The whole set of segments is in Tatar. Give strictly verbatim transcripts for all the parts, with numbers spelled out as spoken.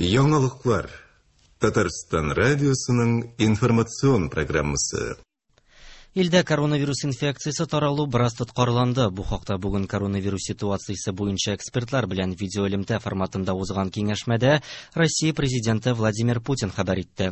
Яңалыклар. Татарстан радиосының информацион программасы. Илдә коронавирус инфекциясе таралу бераз тоткарланды. Бу хакта бүген коронавирус ситуациясе буенча экспертлар белән видеоэлемтә форматында узган киңәшмәдә Россия президенты Владимир Путин хәбәр итте.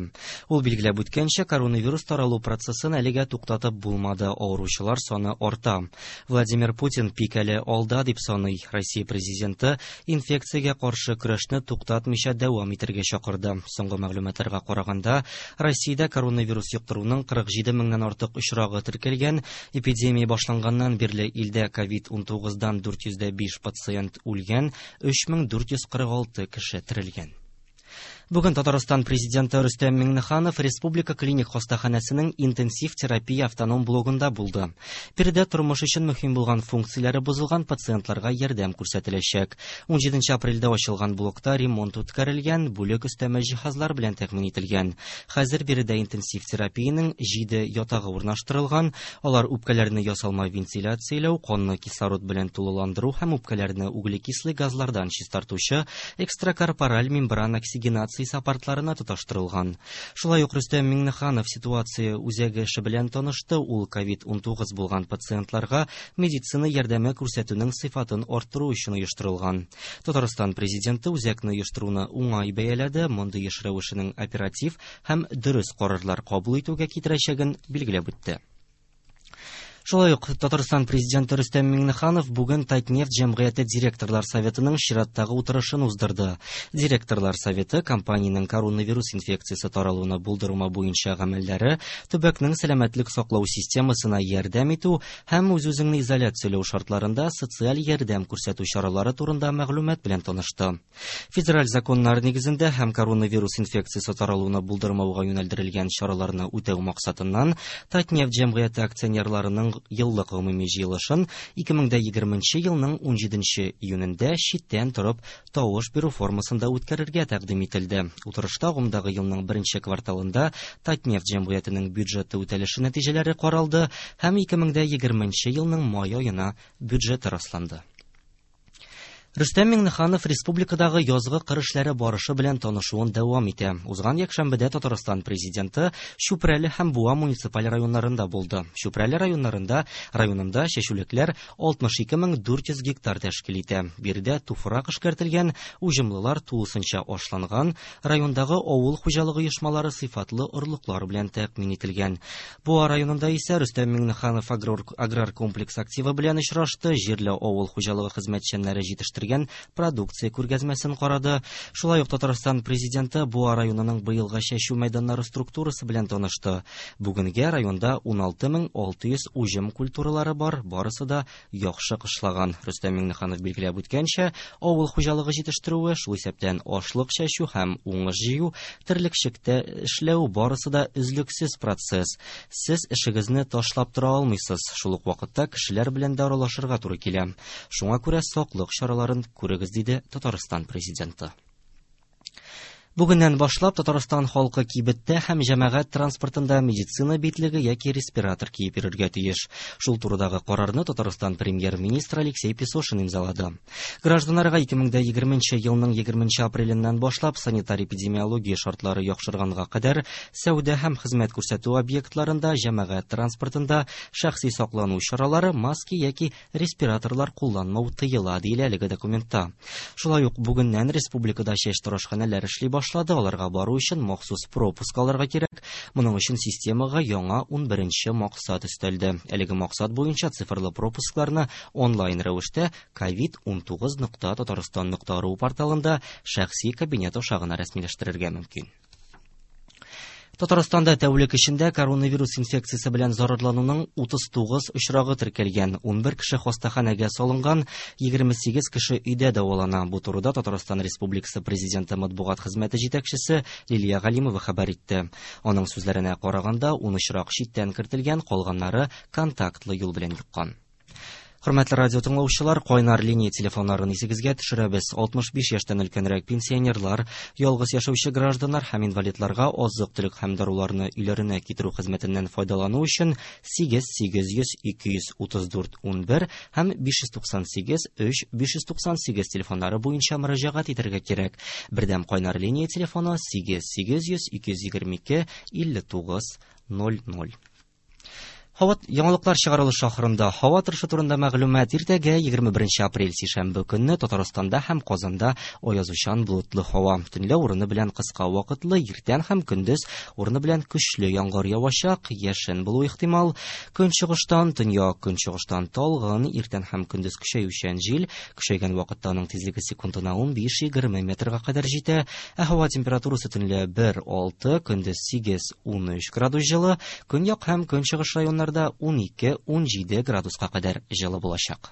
Ул билгеләп үткәнчә, коронавирус таралу процессын әлегә туктатып булмады, авыручылар саны арта. Владимир Путин пик әле алда дип саный. Россия президенты инфекциягә каршы көрәшне туктатмыйча дәвам итәргә чакырды. Соңгы мәгълүматларга караганда, Россиядә коронавирус йоктыруның кырык җиде меңнән артык очрагы теркәлгән. Эпидемия башланганнан бирле илдә ковид унтугыздан дүрт йөз дә биш пациент үлгән, өч мең дүрт йөз кырык алты кеше терелгән. Бүген Татарстан президенты Рөстәм Миңнеханов Республика клиник хастаханәсенең интенсив терапия автоном блогында булды. Биредә тормыш өчен мөһим булган функцияләре бозылган пациентларга ярдәм күрсәтеләчәк. Унҗиденче апрельдә ачылган блокта ремонт үткәрелгән, бүлек өстәмә җиһазлар белән тәэмин ителгән. Хәзер биредә интенсив терапиянең җиде ятагы урнаштырылган. Алар үпкәләрне ясалма вентиляцияләү, канны кислород белән тулыландыру һәм үпкәләрне углекислый газлардан чистартучы экстракорпораль мембрана оксигенация аппаратларына тоташтырылган. Шулай ук Рөстәм Миңнеханов ситуация үзәге эше белән танышты. Ул ковид унтугыз булган пациентларга медицина ярдәме күрсәтүнең сыйфатын арттыру өчен оештырылган. Татарстан президенты үзәкне оештыруны уңай бәяләде, мондый эш рәвешенең оператив һәм дөрес карарлар кабул итүгә китерәчәген билгеләп үтте. Шулай ук Татарстан президенты Рөстәм Миңнеханов бүген Татнефть җәмгыяте директорлар советының чираттагы утырышын уздырды. Директорлар советы компаниянең коронавирус инфекциясе таралуны булдырма буенча гамәлләре, төбәкнең сәламәтлек саклау системасына ярдәм итү һәм үз-үзеңне изоляцияләү шартларында социаль ярдәм күрсәтү чаралары турында мәгълүмат белән танышты. Федераль законнар нигезендә һәм коронавирус инфекциясе таралуны булдырмауга юнәлдерелгән чараларны үтәү максатыннан Татнефть җәмгыяте акционерларының еллык гомуми җыелышын ике мең дә егерменче елның унҗиденче июнендә читтән торып тавыш бирү формасында үткәрергә тәкъдим ителде. Утырышта агымдагы елның беренче кварталында Татнефть җәмгыятенең бюджеты үтәлеше нәтиҗәләре каралды һәм ике мең дә егерменче елның май аена бюджеты расланды. Рөстәм Миңнеханов республикадагы язгы кыр эшләре барышы белән танышуын дәвам итә. Узган якшәмбедә Татарстан президенты Чүпрәле һәм Буа муниципаль районнарында булды. Чүпрәле районнарында районында чәчүлекләр алтмыш ике мең дүрт йөз гектар тәшкил итә. Биредә туфрак эшкәртелгән, уҗымлылар тулысынча ашланган, райондагы авыл хуҗалыгы оешмалары сыйфатлы орлыклар белән тәэмин ителгән. Буа районында исә Рөстәм Миңнеханов аграр, аграр комплекс активы белән очрашты, җирле авыл хуҗалыгы хезмәтчәннәре җитештергән продукция күргәзмәсен карады. Шулай ук Татарстан президенты Буа районының быелгы чәчү мәйданнары структурасы белән танышты. Бүгенгә районда уналты мең алты йөз уҗым культуралары бар, барысы да яхшы кышлаган. Рөстәм Миңнеханов билгеләп үткәнчә, авыл хуҗалыгы җитештерүе, шул исәптән ашлык чәчү һәм уңыш җыю, терлекчелектә эшләү барысы да өзлексез процесс. Сез эшегезне ташлап тора алмыйсыз. Шул ук вакытта кешеләр белән дә аралашырга туры килә. Шуңа күрә саклык чаралары күрегез, диде Татарстан президенты. Бүгеннән башлап Татарстан халкы кибеттә һәм җәмәгать транспортында медицина битлеге яки респиратор киеп йөрергә тиеш. Шул турыдагы карарны Татарстан премьер-министры Алексей Песошин имзалады. Гражданнарга ике мең дә егерменче елның егерменче апреленнән башлап санитар-эпидемиология шартлары яхшырганга кадәр сәүдә һәм хезмәт күрсәтү объектларында, җәмәгать транспортында шәхси саклану чаралары, маски яки респираторлар кулланмау тыела, диелә әлеге документта. Шулай ук бүгеннән республикада чәч тарошханәләр эшли башлады. Аларга бару өчен махсус пропуск алырга кирәк. Моның өчен системага яңа унберенче максат өстәлде. Әлеге максат буенча цифрлы пропускларны онлайн рәвештә ковид унтугыз нокта татарстан нокта ру порталында шәхси кабинет аша гына рәсмиләштерергә мөмкин. Татарстанда тәүлек эчендә коронавирус инфекциясе белән зарарлануның утыз тугыз очрагы теркәлгән. Унбер кеше хастаханәгә салынган, егерме сигез кеше өйдә дәвалана. Бу турыда Татарстан Республикасы Президенты матбугат хезмәте җитәкчесе Лилия Галимова хәбәр итте. Аның сүзләренә караганда, ун очрак читтән кертелгән, калганнары контактлы юл белән йоккан. Хөрмәтле радио тыңлаучылар, кайнар линия телефоннарын исегезгә төшерәбез. алтмыш биш яшьтән өлкәнрәк пенсионерлар, ялгыз яшәүче гражданнар һәм инвалидларга азык-төлек һәм даруларны өйләренә китерү хезмәтеннән файдалану өчен сигез сигез йөз ике йөз утыз дүрт ун бер һәм биш йөз туксан сигез өч биш йөз туксан сигез телефоннары буенча мөрәҗәгать итәргә кирәк. Бердәм кайнар линия телефоны сигез сигез йөз ике йөз егерме ике илле тугыз ноль ноль. Һава яңалыклар чыгарылышы ахырында һава торышы турында мәгълүмат. Иртәгә егерме беренче апрель сишәмбе көнне Татарстанда һәм Казанда аязучан болытлы һава. Төнлә урыны белән кыска вакытлы, иртән һәм көндез урыны белән көчле яңгыр явачак, яшен булу ихтимал. Көнчыгыштан, төньяк көнчыгыштан талгын, иртән һәм көндез көчәючән җил, көчәйгән вакытта аның тизлеге секундына ун биш егерме метрга кадәр җитә. Ә һава температурасы төнлә бер алты, көндез сигез ун өч градус җылы, көньяк һәм көнчыгыш районнарда ун ике ун җиде градуска кадәр җылы булачак.